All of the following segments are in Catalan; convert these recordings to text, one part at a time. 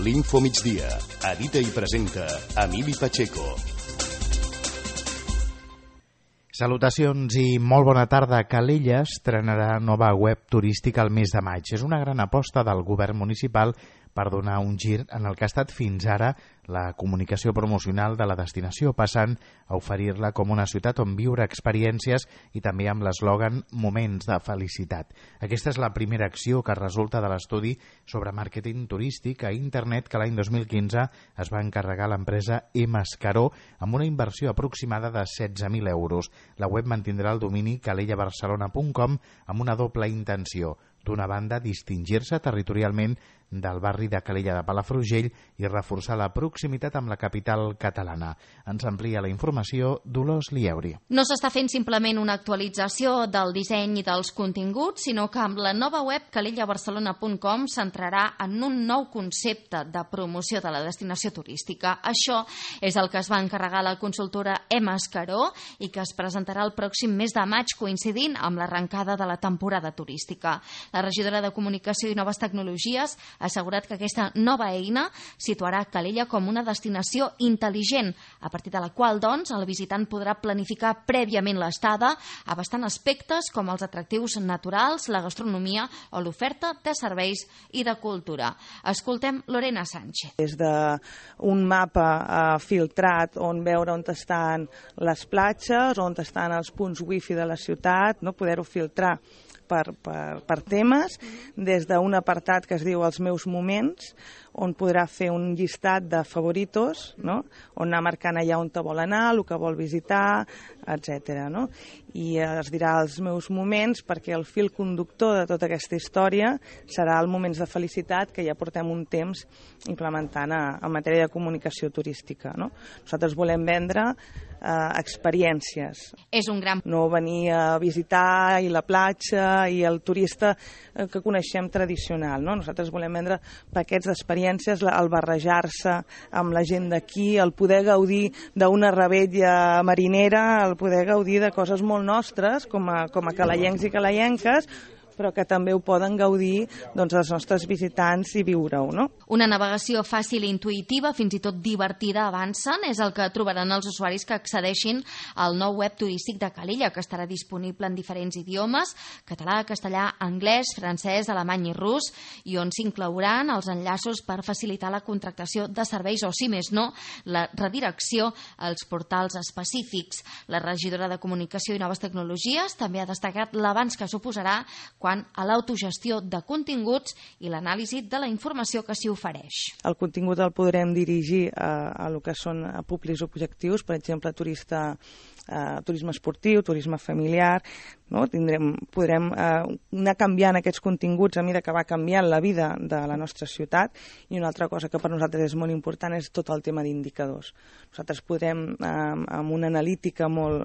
L'Info Migdia. Edita i presenta Emili Pacheco. Salutacions i molt bona tarda. Calella estrenarà nova web turística al mes de maig. És una gran aposta del govern municipal per donar un gir en el que ha estat fins ara la comunicació promocional de la destinació, passant a oferir-la com una ciutat on viure experiències i també amb l'eslògan Moments de felicitat. Aquesta és la primera acció que resulta de l'estudi sobre màrqueting turístic a internet que l'any 2015 es va encarregar l'empresa Mascaró amb una inversió aproximada de 16.000 euros. La web mantindrà el domini calellabarcelona.com amb una doble intenció. D'una banda, distingir-se territorialment del barri de Calella de Palafrugell i reforçar la proximitat amb la capital catalana. Ens amplia la informació Dolors Lieuri. No s'està fent simplement una actualització del disseny i dels continguts, sinó que amb la nova web calellabarcelona.com s'entrarà en un nou concepte de promoció de la destinació turística. Això és el que es va encarregar la consultora Mascaró i que es presentarà el pròxim mes de maig, coincidint amb l'arrencada de la temporada turística. La regidora de Comunicació i Noves Tecnologies ha assegurat que aquesta nova eina situarà Calella com una destinació intel·ligent, a partir de la qual, doncs, el visitant podrà planificar prèviament l'estada, abastant aspectes com els atractius naturals, la gastronomia o l'oferta de serveis i de cultura. Escoltem Lorena Sánchez. Des d'un mapa filtrat on veure on estan les platges, on estan els punts wifi de la ciutat, no poder-ho filtrar per temes, des d'un apartat que es diu Els meus moments, on podrà fer un llistat de favoritos, no? On anar marcant allà on te vol anar, el que vol visitar, etc. No? I es dirà Els meus moments perquè el fil conductor de tota aquesta història serà el Moments de felicitat que ja portem un temps implementant en matèria de comunicació turística. No? Nosaltres volem vendre experiències. És un gran... No venir a visitar i la platja i el turista que coneixem tradicional. No? Nosaltres volem vendre paquets d'experiències, el barrejar-se amb la gent d'aquí, el poder gaudir d'una rebella marinera, el poder gaudir de coses molt nostres, com a calellencs i calellenques, però que també ho poden gaudir doncs, els nostres visitants i viure-ho. No? Una navegació fàcil i intuïtiva, fins i tot divertida, avancen, és el que trobaran els usuaris que accedeixin al nou web turístic de Calella, que estarà disponible en diferents idiomes, català, castellà, anglès, francès, alemany i rus, i on s'inclouran els enllaços per facilitar la contractació de serveis o, si més no, la redirecció als portals específics. La regidora de Comunicació i Noves Tecnologies també ha destacat l'avanç que suposarà quant a l'autogestió de continguts i l'anàlisi de la informació que s'hi ofereix. El contingut el podrem dirigir a lo que són públics objectius, per exemple, turisme esportiu, turisme familiar. No? Podrem anar canviant aquests continguts a mesura que va canviant la vida de la nostra ciutat, i una altra cosa que per nosaltres és molt important és tot el tema d'indicadors. Nosaltres podem, amb una analítica molt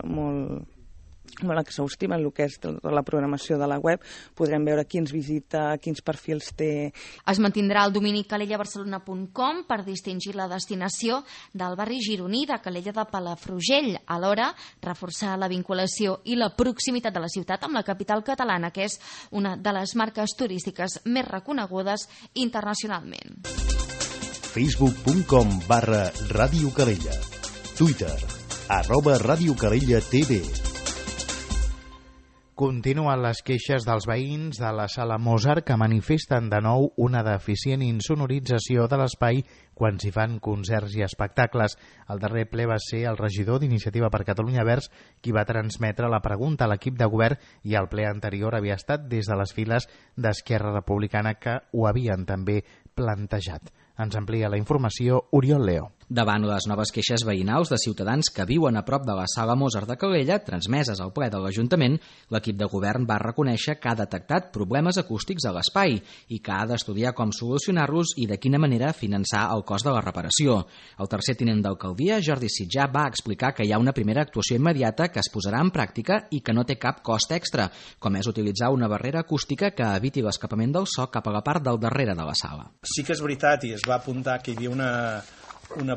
exhaustiva en el que és la programació de la web, podrem veure qui ens visita, quins perfils té. Es mantindrà el domini calellabarcelona.com per distingir la destinació del barri gironí de Calella de Palafrugell, alhora reforçar la vinculació i la proximitat de la ciutat amb la capital catalana, que és una de les marques turístiques més reconegudes internacionalment. Facebook.com/Ràdio Calella. Twitter @RadioCalellaTV. Continuen les queixes dels veïns de la Sala Mozart que manifesten de nou una deficient insonorització de l'espai quan s'hi fan concerts i espectacles. El darrer ple va ser el regidor d'Iniciativa per Catalunya Verds qui va transmetre la pregunta a l'equip de govern, i el ple anterior havia estat des de les files d'Esquerra Republicana, que ho havien també plantejat. Ens amplia la informació Oriol Leo. Davant les noves queixes veïnals de ciutadans que viuen a prop de la Sala Mozart de Calella, transmeses al ple de l'Ajuntament, l'equip de govern va reconèixer que ha detectat problemes acústics a l'espai i que ha d'estudiar com solucionar-los i de quina manera finançar el cost de la reparació. El tercer tinent d'alcaldia, Jordi Sitjà, va explicar que hi ha una primera actuació immediata que es posarà en pràctica i que no té cap cost extra, com és utilitzar una barrera acústica que eviti l'escapament del so cap a la part del darrere de la sala. Sí que és veritat, i es va apuntar que hi havia una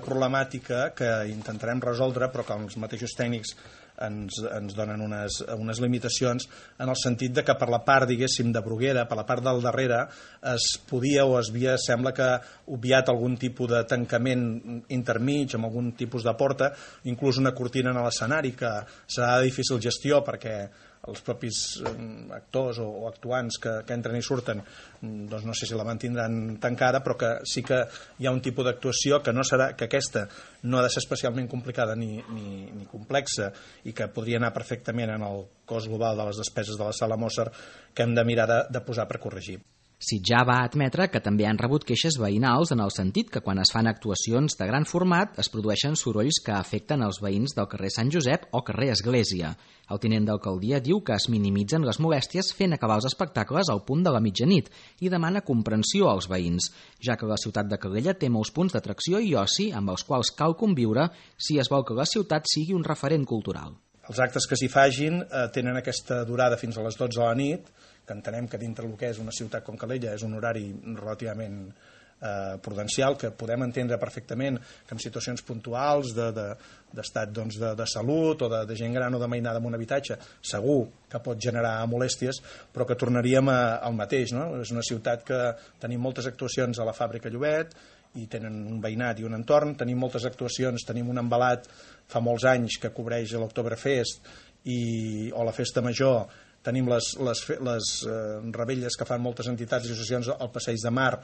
problemàtica que intentarem resoldre, però que els mateixos tècnics ens donen unes limitacions en el sentit de que per la part, diguéssim, de Bruguera, per la part del darrere, es podia o es havia, sembla que obviat algun tipus de tancament intermig, amb algun tipus de porta, inclús una cortina a l'escenari, que serà de difícil gestió perquè els propis actors o actuants que entren i surten, doncs no sé si la mantindran tancada, però que sí que hi ha un tipus d'actuació que no serà, que aquesta no ha de ser especialment complicada ni complexa i que podria anar perfectament en el cost global de les despeses de la sala Mozart, que hem de mirar de posar per corregir. Sitjar va admetre que també han rebut queixes veïnals en el sentit que quan es fan actuacions de gran format es produeixen sorolls que afecten els veïns del carrer Sant Josep o carrer Església. El tinent d'alcaldia diu que es minimitzen les molèsties fent acabar els espectacles al punt de la mitjanit i demana comprensió als veïns, ja que la ciutat de Calella té molts punts d'atracció i oci amb els quals cal conviure si es vol que la ciutat sigui un referent cultural. Els actes que s'hi fagin tenen aquesta durada fins a les 12 de la nit, que entenem que dintre el que és una ciutat com Calella és un horari relativament prudencial, que podem entendre perfectament que en situacions puntuals d'estat de salut o de gent gran o de mainada en un habitatge segur que pot generar molèsties, però que tornaríem al mateix, no? És una ciutat que tenim moltes actuacions a la fàbrica Llobet i tenen un veïnat i un entorn, tenim moltes actuacions, tenim un embalat fa molts anys que cobreix l'Oktoberfest o la Festa Major, tenim les rebelles que fan moltes entitats i associacions al Passeig de Mar,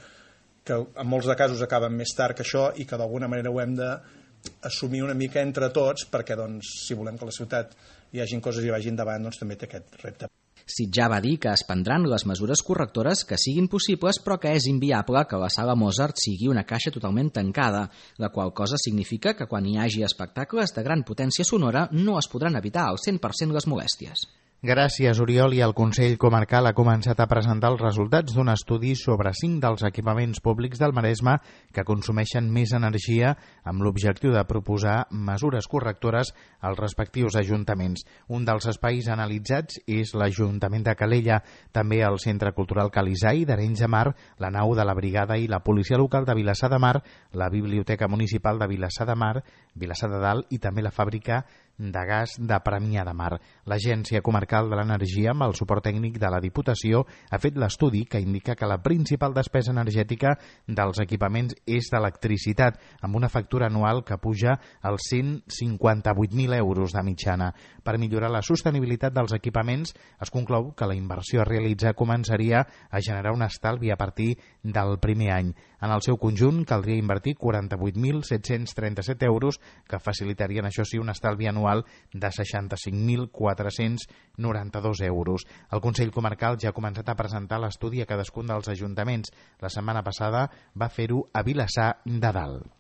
que en molts de casos acaben més tard que això i que d'alguna manera ho hem d'assumir una mica entre tots perquè doncs, si volem que la ciutat hi hagin coses i vagin endavant, doncs també té aquest repte. Sitjar va dir que es prendran les mesures correctores que siguin possibles, però que és inviable que la sala Mozart sigui una caixa totalment tancada, la qual cosa significa que quan hi hagi espectacles de gran potència sonora no es podran evitar al 100% les molèsties. Gràcies, Oriol. I el Consell Comarcal ha començat a presentar els resultats d'un estudi sobre 5 dels equipaments públics del Maresme que consumeixen més energia amb l'objectiu de proposar mesures correctores als respectius ajuntaments. Un dels espais analitzats és l'Ajuntament de Calella, també el Centre Cultural Calisai d'Arenys de Mar, la nau de la Brigada i la Policia Local de Vilassar de Mar, la Biblioteca Municipal de Vilassar de Mar, Vilassar de Dalt i també la fàbrica de gas de Premià de Mar. L'Agència Comarcal de l'Energia, amb el suport tècnic de la Diputació, ha fet l'estudi que indica que la principal despesa energètica dels equipaments és d'electricitat, amb una factura anual que puja als 158.000 euros de mitjana. Per millorar la sostenibilitat dels equipaments, es conclou que la inversió a realitzar començaria a generar un estalvi a partir del primer any. En el seu conjunt, caldria invertir 48.737 euros, que facilitarien, això sí, un estalvi anual de 65.492 euros. El Consell Comarcal ja ha començat a presentar l'estudi a cadascun dels ajuntaments. La setmana passada va fer-ho a Vilassar de Dalt.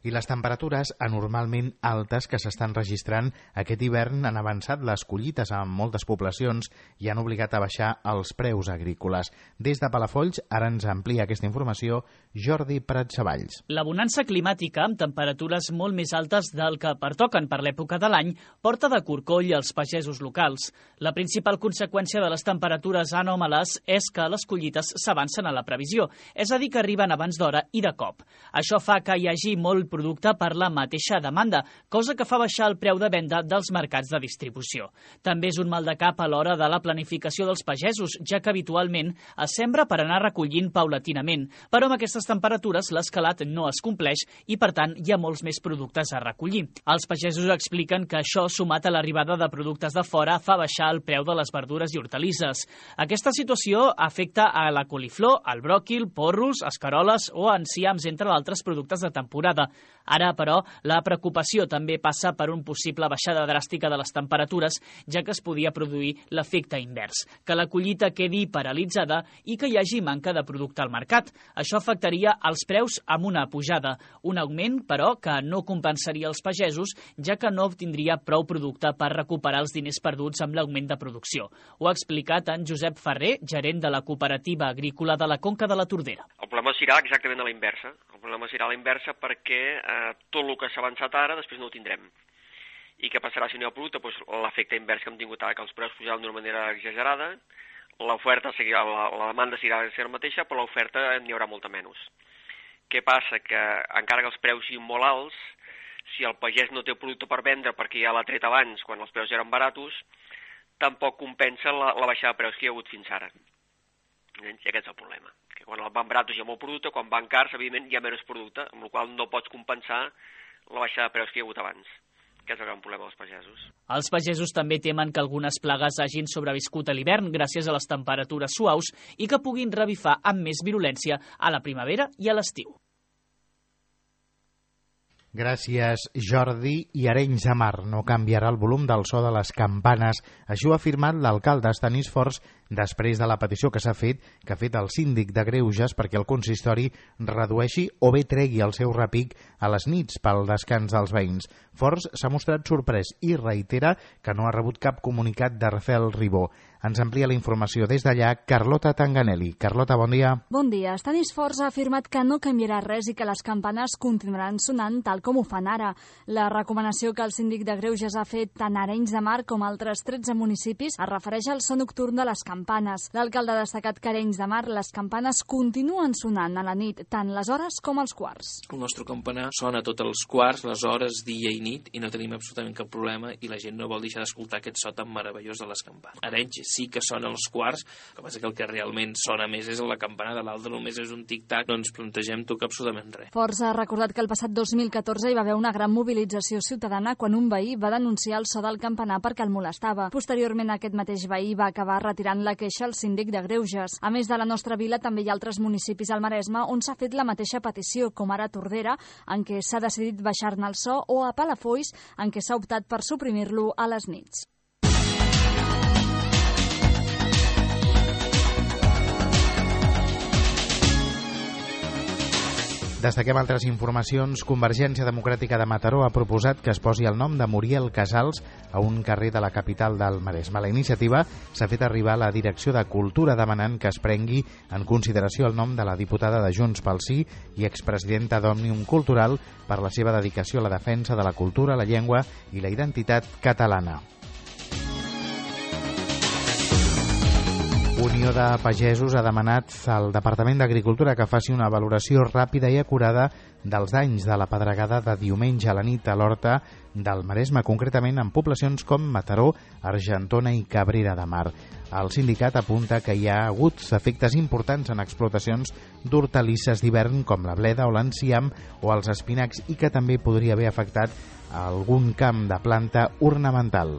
I les temperatures anormalment altes que s'estan registrant aquest hivern han avançat les collites en moltes poblacions i han obligat a baixar els preus agrícoles. Des de Palafolls, ara ens amplia aquesta informació Jordi Prat-Savalls. La bonança climàtica, amb temperatures molt més altes del que pertoquen per l'època de l'any, porta de corcoll als pagesos locals. La principal conseqüència de les temperatures anòmales és que les collites s'avancen a la previsió, és a dir, que arriben abans d'hora i de cop. Això fa que hi hagi molt producte per la mateixa demanda, cosa que fa baixar el preu de venda dels mercats de distribució. També és un mal de cap a l'hora de la planificació dels pagesos, ja que habitualment es sembra per anar recollint paulatinament, però amb aquestes temperatures l'escalat no es compleix i, per tant, hi ha molts més productes a recollir. Els pagesos expliquen que això, sumat a l'arribada de productes de fora, fa baixar el preu de les verdures i hortalisses. Aquesta situació afecta a la coliflor, el bròquil, porros, escaroles o enciams, entre altres productes de temporada. Ara, però, la preocupació també passa per un possible baixada dràstica de les temperatures, ja que es podia produir l'efecte invers, que la collita quedi paralitzada i que hi hagi manca de producte al mercat. Això afectaria els preus amb una pujada, un augment, però, que no compensaria els pagesos, ja que no obtindria prou producte per recuperar els diners perduts amb l'augment de producció. Ho ha explicat en Josep Ferrer, gerent de la Cooperativa Agrícola de la Conca de la Tordera. El problema serà exactament a la inversa. El problema serà a la inversa perquè tot el que s'ha avançat ara després no ho tindrem. I què passarà si no hi ha producte? Doncs l'efecte invers que hem tingut ara, que els preus pujaran d'una manera exagerada, l'oferta seguirà, la demanda seguirà sent la mateixa, però l'oferta n'hi haurà molta menys. Què passa? Que encara que els preus siguin molt alts, si el pagès no té producte per vendre perquè ja l'ha tret abans, quan els preus eren baratos, tampoc compensa la baixada de preus que hi ha hagut fins ara. I aquest és el problema, que quan van baratos hi ha molt producte, quan van cars, evidentment, hi ha menys producte, amb la qual cosa no pots compensar la baixada de preus que hi ha hagut abans. Aquest és el gran problema dels pagesos. Els pagesos també temen que algunes plagues hagin sobreviscut a l'hivern gràcies a les temperatures suaus i que puguin revifar amb més virulència a la primavera i a l'estiu. Gràcies, Jordi. I Arenys de Mar no canviarà el volum del so de les campanes. Això ha afirmat l'alcalde Estanis Forns després de la petició que ha fet el síndic de Greuges perquè el consistori redueixi o bé tregui el seu repic a les nits pel descans dels veïns. Forns s'ha mostrat sorprès i reitera que no ha rebut cap comunicat de Rafael Ribó. Ens amplia la informació des d'allà Carlota Tanganelli. Carlota, bon dia. Bon dia. Estanis Forns ha afirmat que no canviarà res i que les campanes continuaran sonant tal com ho fan ara. La recomanació que el síndic de Greuges ha fet tant a Arenys de Mar com a altres 13 municipis es refereix al so nocturn de les campanes. L'alcalde ha destacat que a Arenys de Mar les campanes continuen sonant a la nit, tant les hores com els quarts. El nostre campanar sona tots els quarts, les hores, dia i nit, i no tenim absolutament cap problema i la gent no vol deixar d'escoltar aquest so tan meravellós de les campanes. Arenys sí que sona els quarts, el que passa que el que realment sona més és la campanada, l'altre només és un tic-tac, no ens plantegem tocar absolutament res. Forns ha recordat que el passat 2014 hi va haver una gran mobilització ciutadana quan un veí va denunciar el so del campanar perquè el molestava. Posteriorment, aquest mateix veí va acabar retirant la queixa al síndic de Greuges. A més de la nostra vila, també hi ha altres municipis al Maresme on s'ha fet la mateixa petició, com ara Tordera, en què s'ha decidit baixar-ne el so, o a Palafolls, en què s'ha optat per suprimir-lo a les nits. Destaquem altres informacions. Convergència Democràtica de Mataró ha proposat que es posi el nom de Muriel Casals a un carrer de la capital del Maresme. La iniciativa s'ha fet arribar a la Direcció de Cultura demanant que es prengui en consideració el nom de la diputada de Junts pel Sí i expresidenta d'Òmnium Cultural per la seva dedicació a la defensa de la cultura, la llengua i la identitat catalana. Unió de Pagesos ha demanat al Departament d'Agricultura que faci una valoració ràpida i acurada dels danys de la pedregada de diumenge a la nit a l'Horta del Maresme, concretament en poblacions com Mataró, Argentona i Cabrera de Mar. El sindicat apunta que hi ha hagut efectes importants en explotacions d'hortalisses d'hivern com la bleda o l'enciam o els espinacs i que també podria haver afectat algun camp de planta ornamental.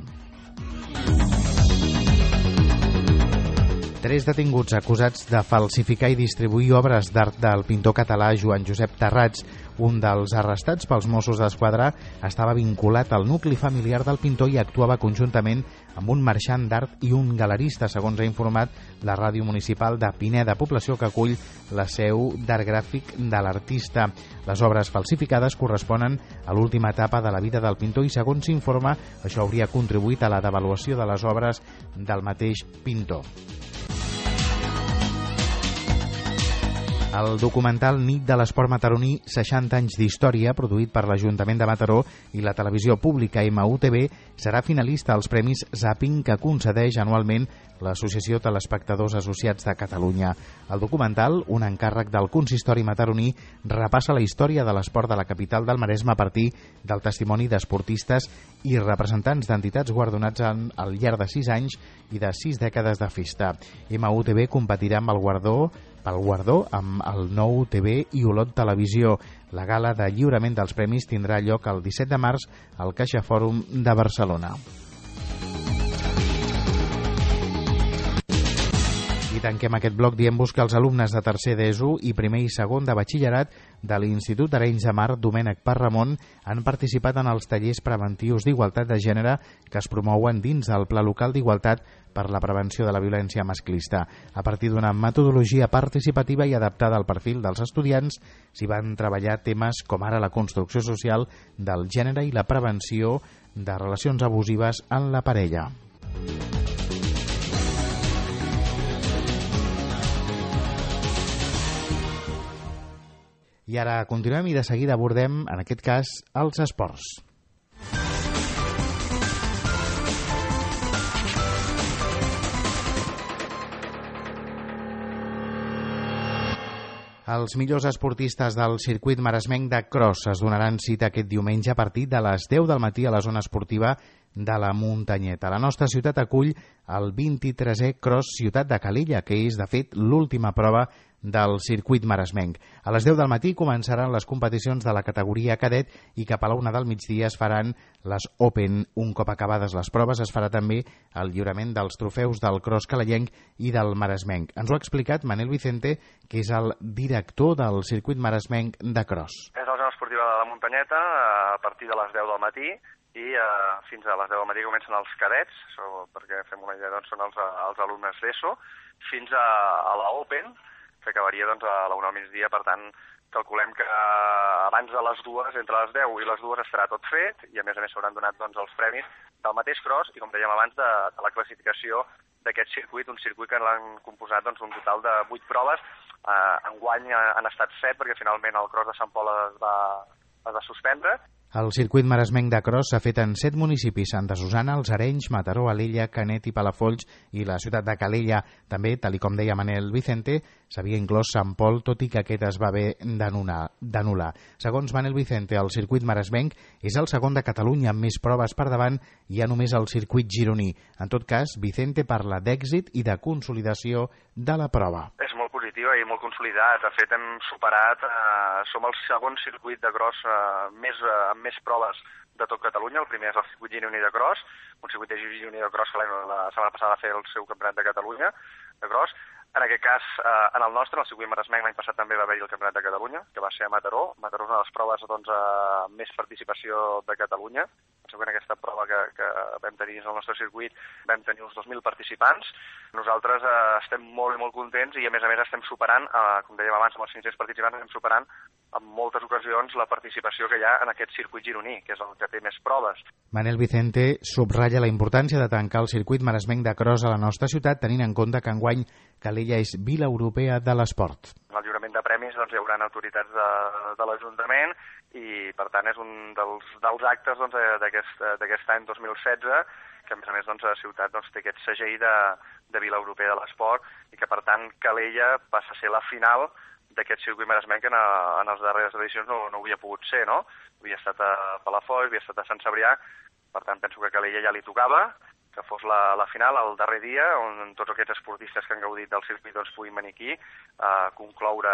3 detinguts acusats de falsificar i distribuir obres d'art del pintor català Joan Josep Tarrats. Un dels arrestats pels Mossos d'Esquadra estava vinculat al nucli familiar del pintor i actuava conjuntament amb un marxant d'art i un galerista, segons ha informat la ràdio municipal de Pineda, població que acull la seu d'art gràfic de l'artista. Les obres falsificades corresponen a l'última etapa de la vida del pintor i, segons s'informa, això hauria contribuït a la devaluació de les obres del mateix pintor. El documental Nit de l'Esport Mataroní, 60 anys d'història, produït per l'Ajuntament de Mataró i la televisió pública MUTV, serà finalista als Premis Zapping que concedeix anualment l'Associació Telespectadors Associats de Catalunya. El documental, un encàrrec del consistori mataroní, repassa la història de l'esport de la capital del Maresme a partir del testimoni d'esportistes i representants d'entitats guardonats al llarg de 6 anys i de 6 dècades de festa. MUTV competirà amb pel guardó amb el Nou TV i Olot Televisió. La gala de lliurament dels premis tindrà lloc el 17 de març al Caixa Fòrum de Barcelona. I tanquem aquest bloc dient-vos que els alumnes de tercer d'ESO i primer i segon de batxillerat de l'Institut Arenys de Mar Domènec Parramon han participat en els tallers preventius d'igualtat de gènere que es promouen dins del Pla Local d'Igualtat per la prevenció de la violència masclista. A partir d'una metodologia participativa i adaptada al perfil dels estudiants, s'hi van treballar temes com ara la construcció social del gènere i la prevenció de relacions abusives en la parella. I ara continuem i de seguida abordem, en aquest cas, els esports. Els millors esportistes del circuit maresmenc de cross es donaran cita aquest diumenge a partir de les 10 del matí a la zona esportiva de la Muntanyeta. La nostra ciutat acull el 23è Cross Ciutat de Calella, que és, de fet, l'última prova del circuit maresmenc. A les 10 del matí començaran les competicions de la categoria cadet i cap a la 1 del migdia es faran les Open. Un cop acabades les proves es farà també el lliurament dels trofeus del cross calellenc i del maresmenc. Ens ho ha explicat Manel Vicente, que és el director del circuit maresmenc de cross. És la zona esportiva de la Muntanyeta a partir de les 10 del matí i fins a les 10 del matí comencen els cadets, perquè fem una idea, són els alumnes d'ESO, fins a la Open, que acabaria a la 1 al migdia. Per tant, calculem que abans de les 2, entre les 10 i les 2 estarà tot fet i a més s'hauran donat els premis del mateix cross i, com dèiem abans, de la classificació d'aquest circuit, un circuit que l'han composat un total de 8 proves. Enguany han estat 7 perquè finalment el cross de Sant Pol es va suspendre. El circuit maresmenc de cross s'ha fet en 7 municipis: Santa Susana, Els Arenys, Mataró, Alella, Canet i Palafolls i la ciutat de Calella. També, tal com deia Manel Vicente, s'havia inclòs Sant Pol, tot i que aquest es va haver d'anul·lar. Segons Manel Vicente, el circuit maresmenc és el segon de Catalunya amb més proves per davant, hi ha només el circuit gironí. En tot cas, Vicente parla d'èxit i de consolidació de la prova. És molt positiva i molt consolidat. De fet, hem superat, som el segon circuit de cross amb més proves de tot Catalunya. El primer és el circuit gironí de cross, un circuit de gironí de cross que la setmana passada va fer el seu campionat de Catalunya de cross. En aquest cas, en el nostre, el circuit maresmenc, l'any passat també va haver-hi el campionat de Catalunya, que va ser a Mataró. Mataró és una de les proves amb més participació de Catalunya. Penseu que en aquesta prova que vam tenir en el nostre circuit vam tenir uns 2.000 participants. Nosaltres estem molt i molt contents i a més estem superant, com dèiem abans, amb els 500 participants, estem superant en moltes ocasions la participació que hi ha en aquest circuit gironí, que és el que té més proves. Manel Vicente subratlla la importància de tancar el circuit maresmenc de cross a la nostra ciutat, tenint en compte que enguany Calella és Vila Europea de l'Esport. En el lliurament de premis hi haurà autoritats de l'Ajuntament i, per tant, és un dels actes d'aquest any 2016 que, a més, la ciutat té aquest segell de Vila Europea de l'Esport i que, per tant, Calella passa a ser la final d'aquest circuit maresmenc que en les darreres edicions no havia pogut ser, no? Havia estat a Palafolls, havia estat a Sant Cebrià, per tant penso que a Calella ja li tocava que fos la final, el darrer dia, on tots aquests esportistes que han gaudit del circuit puguin venir aquí a concloure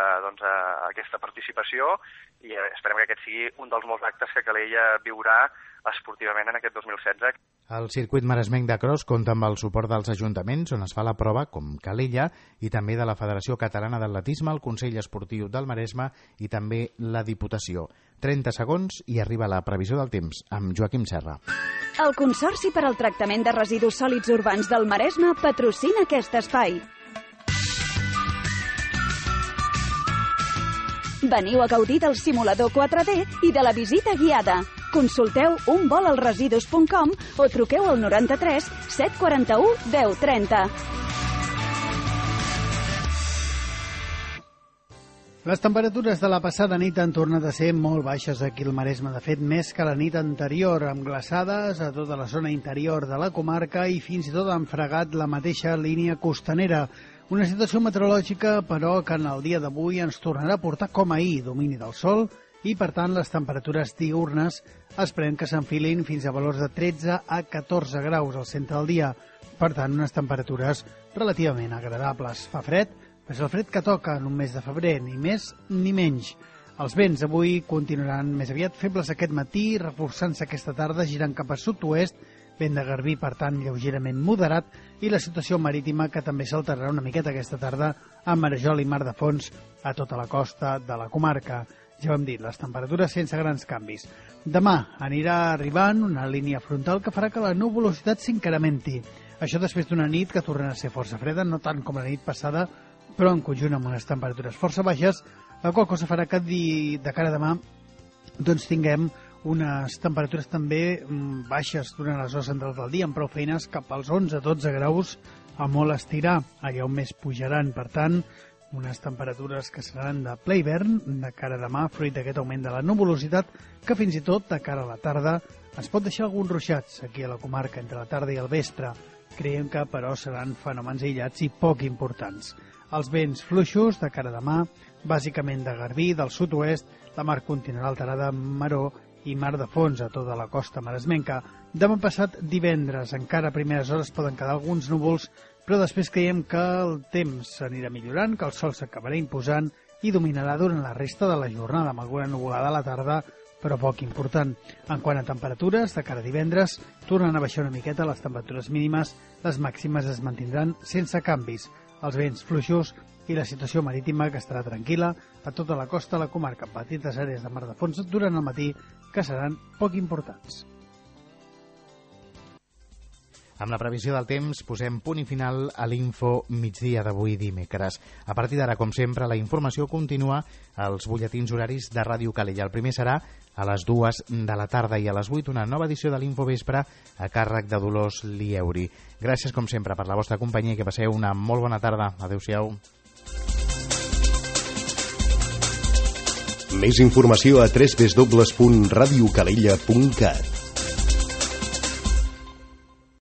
aquesta participació i esperem que aquest sigui un dels molts actes que Calella viurà esportivament en aquest 2016. El circuit maresmenc de cross compta amb el suport dels ajuntaments on es fa la prova, com Calella, i també de la Federació Catalana d'Atletisme, el Consell Esportiu del Maresme i també la Diputació. 30 segons i arriba la previsió del temps amb Joaquim Serra. El Consorci per al Tractament de Residus Sòlids Urbans del Maresme patrocina aquest espai. Veniu a gaudir del simulador 4D i de la visita guiada. Consulteu unvolalresidus.com o truqueu al 93 741 1030. Les temperatures de la passada nit han tornat a ser molt baixes aquí al Maresme. De fet, més que la nit anterior, amb glaçades a tota la zona interior de la comarca i fins i tot han fregat la mateixa línia costanera. Una situació meteorològica, però, que en el dia d'avui ens tornarà a portar com ahir, domini del sol, i, per tant, les temperatures diürnes esperem que s'enfilin fins a valors de 13 a 14 graus al centre del dia. Per tant, unes temperatures relativament agradables. Fa fred, però és el fred que toca en un mes de febrer, ni més ni menys. Els vents avui continuaran més aviat febles aquest matí, reforçant-se aquesta tarda, girant cap a sud-oest, vent de garbí, per tant, lleugerament moderat, i la situació marítima que també s'alterarà una miqueta aquesta tarda a Marejol i Mar de Fons a tota la costa de la comarca. Ja ho hem dit, les temperatures sense grans canvis. Demà anirà arribant una línia frontal que farà que la nuvolositat s'incrementi. Això després d'una nit que tornarà a ser força freda, no tant com la nit passada, però en conjunt amb unes temperatures força baixes, la qual cosa farà que de cara a demà tinguem unes temperatures també baixes durant les hores centrals del dia, amb prou feines cap als 11-12 graus a molt estirar, allà on més pujaran. Per tant, unes temperatures que seran de ple hivern de cara a demà, fruit d'aquest augment de la nuvolositat, que fins i tot de cara a la tarda es pot deixar alguns ruixats aquí a la comarca entre la tarda i el vespre. Creiem que, però, seran fenòmens aïllats i poc importants. Els vents fluixos de cara a demà, bàsicament de Garbí, del sud-oest, la mar continuarà alterada amb maró i mar de fons a tota la costa maresmenca. Demà passat divendres, encara a primeres hores poden quedar alguns núvols, però després creiem que el temps s'anirà millorant, que el sol s'acabarà imposant i dominarà durant la resta de la jornada, amb alguna nuvolada a la tarda, però poc important. En quant a temperatures, de cara a divendres, tornen a baixar una miqueta les temperatures mínimes, les màximes es mantindran sense canvis. Els vents fluixos i la situació marítima que estarà tranquil·la a tota la costa de la comarca, amb petites àrees de mar de fons durant el matí que seran poc importants. Amb la previsió del temps posem punt i final a l'Info migdia d'avui dimecres. A partir d'ara, com sempre, la informació continua als butlletins horaris de Ràdio Calella. El primer serà a les 2 de la tarda i a les 8 una nova edició de l'Info Vespre a càrrec de Dolors Lieuri. Gràcies, com sempre, per la vostra companyia i que passeu una molt bona tarda. Adéu-siau. Més informació a www.radiocalella.cat.